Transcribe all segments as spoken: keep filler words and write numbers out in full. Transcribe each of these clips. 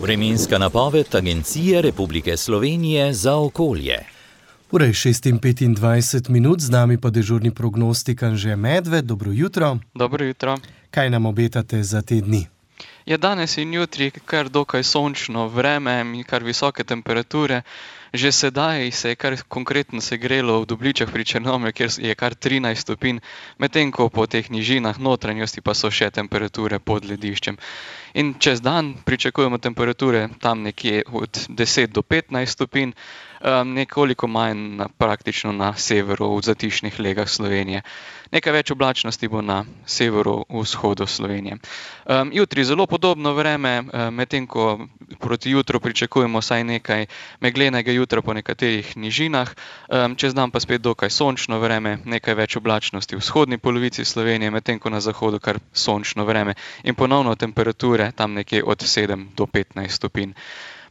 Vremenska napoved Agencije Republike Slovenije za okolje. Ura je šest in petindvajset minut, z nami pa dežurni prognostik Anže Medved. Dobro jutro. Dobro jutro. Kaj nam obetate za te dni? Je danes in jutri kar dokaj sončno vreme in kar visoke temperature. Že sedaj se je kar konkretno segrelo v Dobličah pri Črnomlju, kjer je kar trinajst stopinj, medtem ko po teh nižinah notranjosti pa so še temperature pod lediščem. In čez dan pričakujemo temperature tam nekje od deset do petnajst stopinj, um, nekoliko manj na, praktično na severu, v zatišnih legah Slovenije. Nekaj več oblačnosti bo na severu, vzhodu Slovenije. Um, jutri zelo podobno vreme, um, medtem ko proti jutru pričakujemo vsaj nekaj meglenega jutra po nekaterih nižinah, um, čez dan pa spet dokaj sončno vreme, nekaj več oblačnosti v vzhodni polovici Slovenije, medtem ko na zahodu kar sončno vreme in ponovno temperature tam nekje od sedem do petnajst stopinj.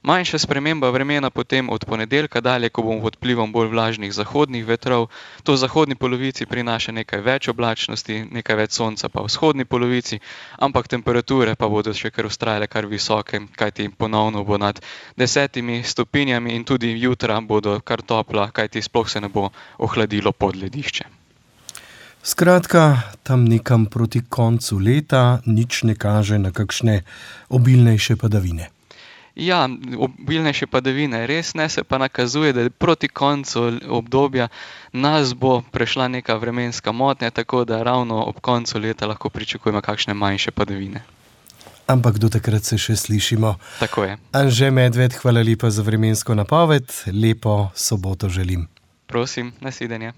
Manjša sprememba vremena potem od ponedeljka dalje, ko bomo pod vplivom bolj vlažnih zahodnih vetrov. To v zahodni polovici prinaša nekaj več oblačnosti, nekaj več sonca pa v vzhodni polovici, ampak temperature pa bodo še kar vztrajale kar visoke, kajti ponovno bo nad desetimi stopinjami in tudi jutra bodo kar topla, kajti sploh se ne bo ohladilo pod ledišče. Skratka, tam nekam proti koncu leta nič ne kaže na kakšne obilnejše padavine. Ja, obilnejše padavine res ne, se pa nakazuje, da proti koncu obdobja nas bo prešla neka vremenska motnja, tako da ravno ob koncu leta lahko pričakujemo kakšne manjše padavine. Ampak do takrat se še slišimo. Tako je. Anže Medved, hvala lepa za vremensko napoved, lepo soboto želim. Prosim, nasvidenje.